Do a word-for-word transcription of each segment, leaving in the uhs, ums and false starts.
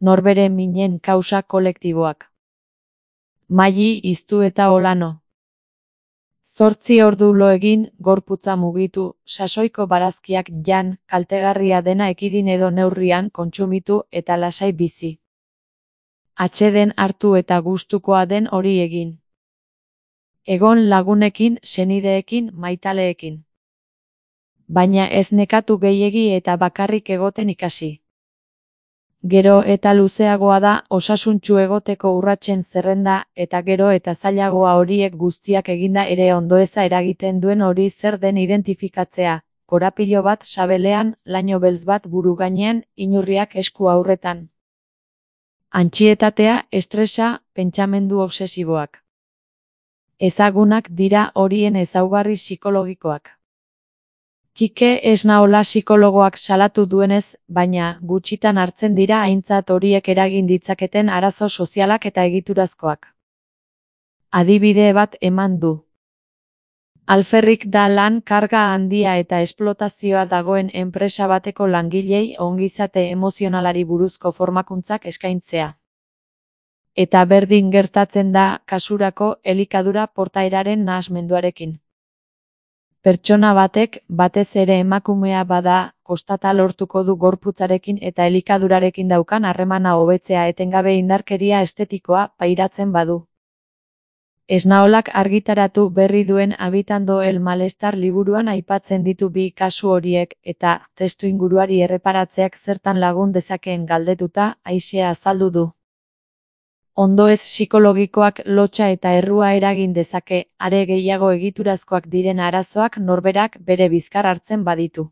Norbere minen kausa kolektiboak. Maili iztu eta olano. Zortzi ordu lo egin, gorputza mugitu, sasoiko barazkiak jan, kaltegarria dena ekidin edo neurrian kontsumitu eta lasai bizi. Atseden hartu eta gustukoa den hori egin. Egon lagunekin, senideekin, maitaleekin. Baina ez nekatu gehiegi eta bakarrik egoten ikasi. Gero eta luzeagoa da osasuntsu egoteko urratsen zerrenda eta gero eta zailagoa horiek guztiak eginda ere ondoeza eragiten duen hori zer den identifikatzea, korapilo bat sabelean, laino beltz bat buru gainean, inurriak esku aurretan. Antsietatea, estresa, pentsamendu obsesiboak. Ezagunak dira horien ezaugarri psikologikoak. Kike Esnaola psikologoak salatu duenez, baina gutxitan hartzen dira aintzat horiek eragin ditzaketen arazo sozialak eta egiturazkoak. Adibide bat eman du. Alferrik da lan karga handia eta esplotazioa dagoen enpresa bateko langilei ongizate emozionalari buruzko formakuntzak eskaintzea. Eta berdin gertatzen da kasurako elikadura portaeraren nahasmenduarekin. Pertsona batek, batez ere emakumea bada, kostata lortuko du gorputzarekin eta elikadurarekin daukan harremana hobetzea etengabe indarkeria estetikoa pairatzen badu. Esnaolak argitaratu berri duen Habitando el malestar liburuan aipatzen ditu bi kasu horiek eta testuinguruari erreparatzeak zertan lagun dezakeen galdetuta aisea azaldu du. Ondoez psikologikoak lotsa eta errua eragin dezake, are gehiago egiturazkoak diren arazoak norberak bere bizkar hartzen baditu.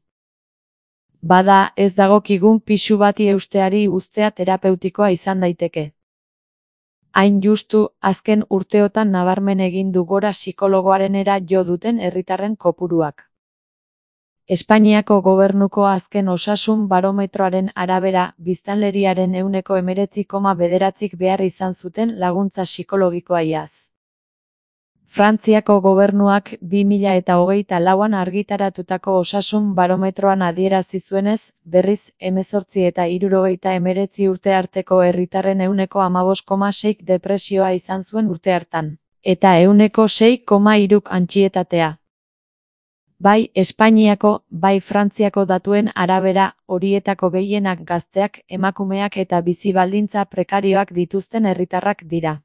Bada, ez dagokigun pisu bati eusteari uztea terapeutikoa izan daiteke. Hain justu, azken urteotan nabarmen egin du gora psikologoarenera jo duten herritarren kopuruak. Espainiako gobernuko azken osasun barometroaren arabera, biztanleriaren ehuneko hemeretzi koma bederatzik behar izan zuten laguntza psikologikoa iaz. Frantziako gobernuak bi mila eta hogeita lauan argitaratutako osasun barometroan adierazi zuenez, berriz, hemezortzi eta hirurogeita hemeretzi urte arteko herritarren ehuneko hamabost koma seik depresioa izan zuen urte hartan, eta ehuneko sei koma hiruk antsietatea. Bai Espainiako, bai Frantziako datuen arabera, horietako gehienak gazteak, emakumeak eta bizi baldintza prekarioak dituzten herritarrak dira.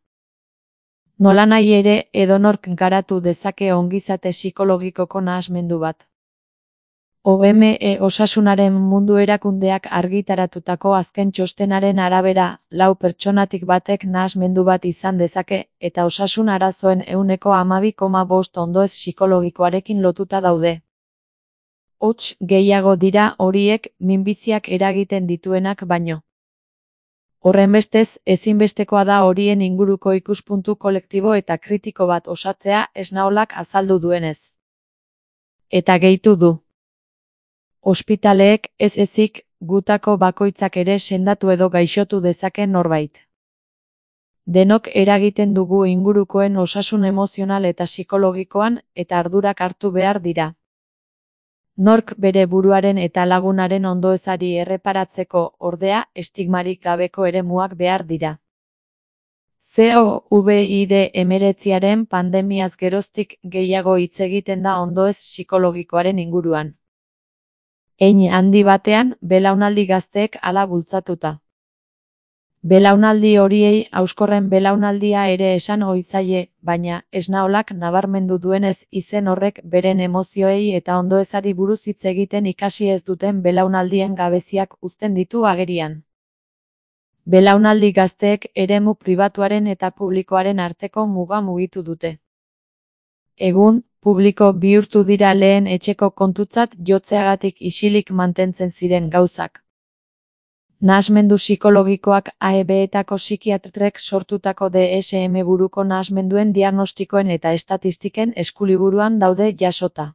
Nolanahi ere, edonork garatu dezake ongizate psikologikoko nahasmendu bat. O M E Osasunaren Mundu Erakundeak argitaratutako azken txostenaren arabera, lau pertsonatik batek nahasmendu bat izan dezake, eta osasun arazoen ehuneko hamabi koma bost ondoez psikologikoarekin lotuta daude. Hots, gehiago dira horiek minbiziak eragiten dituenak baino. Horrenbestez, ezinbestekoa da horien inguruko ikuspuntu kolektibo eta kritiko bat osatzea Esnaolak azaldu duenez. Eta gehitu du. Ospitaleek, ez ezik, gutako bakoitzak ere sendatu edo gaixotu dezake norbait. Denok eragiten dugu ingurukoen osasun emozional eta psikologikoan, eta ardurak hartu behar dira. Nork bere buruaren eta lagunaren ondoezari erreparatzeko, ordea, estigmarik gabeko eremuak behar dira. COVID hemeretziaren pandemiaz geroztik gehiago hitz egiten da ondoez psikologikoaren inguruan. Hein handi batean, belaunaldi gazteek hala bultzatuta. Belaunaldi horiei hauskorren belaunaldia ere esan ohi zaie, baina Esnaolak nabarmendu duenez izen horrek beren emozioei eta ondoezari buruz hitz egiten ikasi ez duten belaunaldien gabeziak uzten ditu agerian. Belaunaldi gazteek eremu pribatuaren eta publikoaren arteko muga mugitu dute. Egun, publiko bihurtu dira lehen etxeko kontutzat jotzeagatik isilik mantentzen ziren gauzak. Nahasmendu psikologikoak A E B-etako psikiatrek sortutako D S M buruko nahasmenduen diagnostikoen eta estatistiken eskuliburuan daude jasota.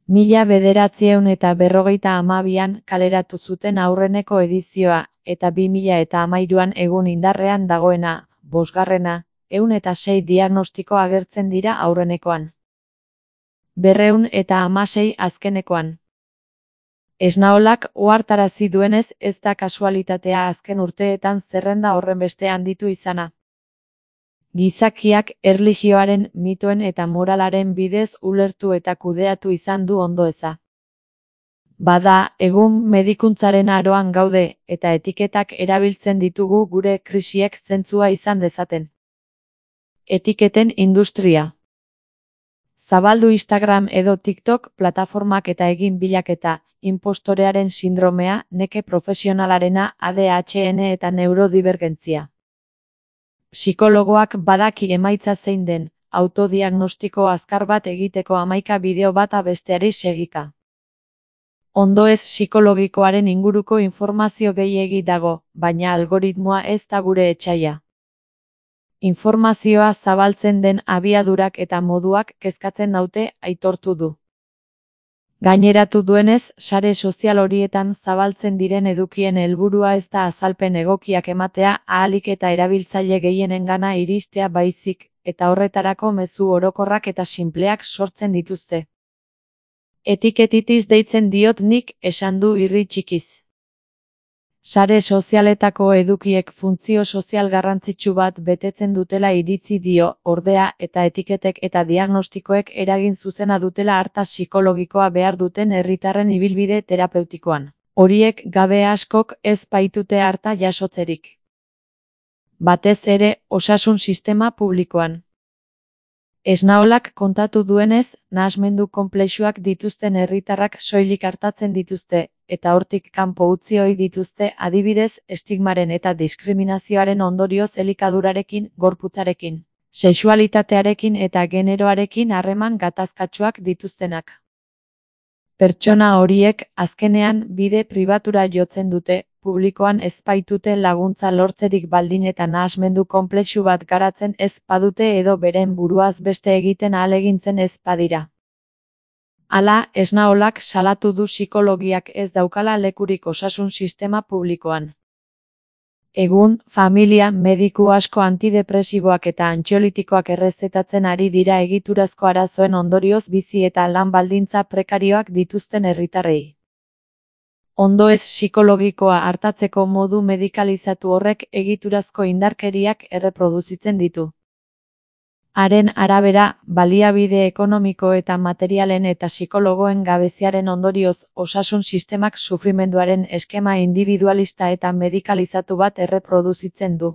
Mila bederatziehun eta berrogeita hamabian kaleratu zuten aurreneko edizioa, eta bi mila eta hamairuan egun indarrean dagoena, bosgarrena, ehun eta sei diagnostiko agertzen dira aurrenekoan. Berrehun eta hamasei azkenekoan. Esnaolak ohartarazi duenez, ez da kasualitatea azken urteetan zerrenda horrenbeste handitu izana. Gizakiak erlijioaren, mitoen eta moralaren bidez ulertu eta kudeatu izan du ondoeza. Bada, egun medikuntzaren aroan gaude, eta etiketak erabiltzen ditugu gure krisiek zentzua izan dezaten. Etiketen industria. Zabaldu Instagram edo TikTok plataformak eta egin bilaketa, inpostorearen sindromea, neke profesionalarena, A D H D eta neurodibergentzia. Psikologoak badaki emaitza zein den, autodiagnostiko azkar bat egiteko hamaika bideo bata besteari segika. Ondoez psikologikoaren inguruko informazio gehiegi dago, baina algoritmoa ez da gure etsaia. Informazioa zabaltzen den abiadurak eta moduak kezkatzen naute, aitortu du. Gaineratu duenez, sare sozial horietan zabaltzen diren edukien helburua ez da azalpen egokiak ematea ahalik eta erabiltzaile gehienengana iristea baizik, eta horretarako mezu orokorrak eta sinpleak sortzen dituzte. Etiketitiz deitzen diot nik, esan du irri txikiz. Sare sozialetako edukiek funtzio sozial garrantzitsu bat betetzen dutela iritzi dio, ordea, eta etiketek eta diagnostikoek eragin zuzena dutela arta psikologikoa behar duten herritarren ibilbide terapeutikoan. Horiek gabe askok ez baitute harta jasotzerik. Batez ere, osasun sistema publikoan. Esnaolak kontatu duenez, nahasmendu konplexuak dituzten herritarrak soilik artatzen dituzte, eta hortik kanpo utzi ohi dituzte adibidez estigmaren eta diskriminazioaren ondorioz elikadurarekin, gorputzarekin, sexualitatearekin eta generoarekin harreman gatazkatsuak dituztenak. Pertsona horiek, azkenean, bide pribatura jotzen dute, publikoan ez baitute laguntza lortzerik baldin eta nahasmendu konplexu bat garatzen ez badute edo beren buruaz beste egiten ahalegintzen ez badira. Hala, Esnaolak salatu du psikologiak ez daukala lekurik osasun sistema publikoan. Egun, familia, mediku asko antidepresiboak eta antxiolitikoak errezetatzen ari dira egiturazko arazoen ondorioz bizi eta lan baldintza prekarioak dituzten herritarrei. Ondoez psikologikoa artatzeko modu medikalizatu horrek egiturazko indarkeriak erreproduzitzen ditu. Haren arabera, baliabide ekonomiko eta materialen eta psikologoen gabeziaren ondorioz, osasun sistemak sufrimenduaren eskema individualista eta medikalizatu bat erreproduzitzen du.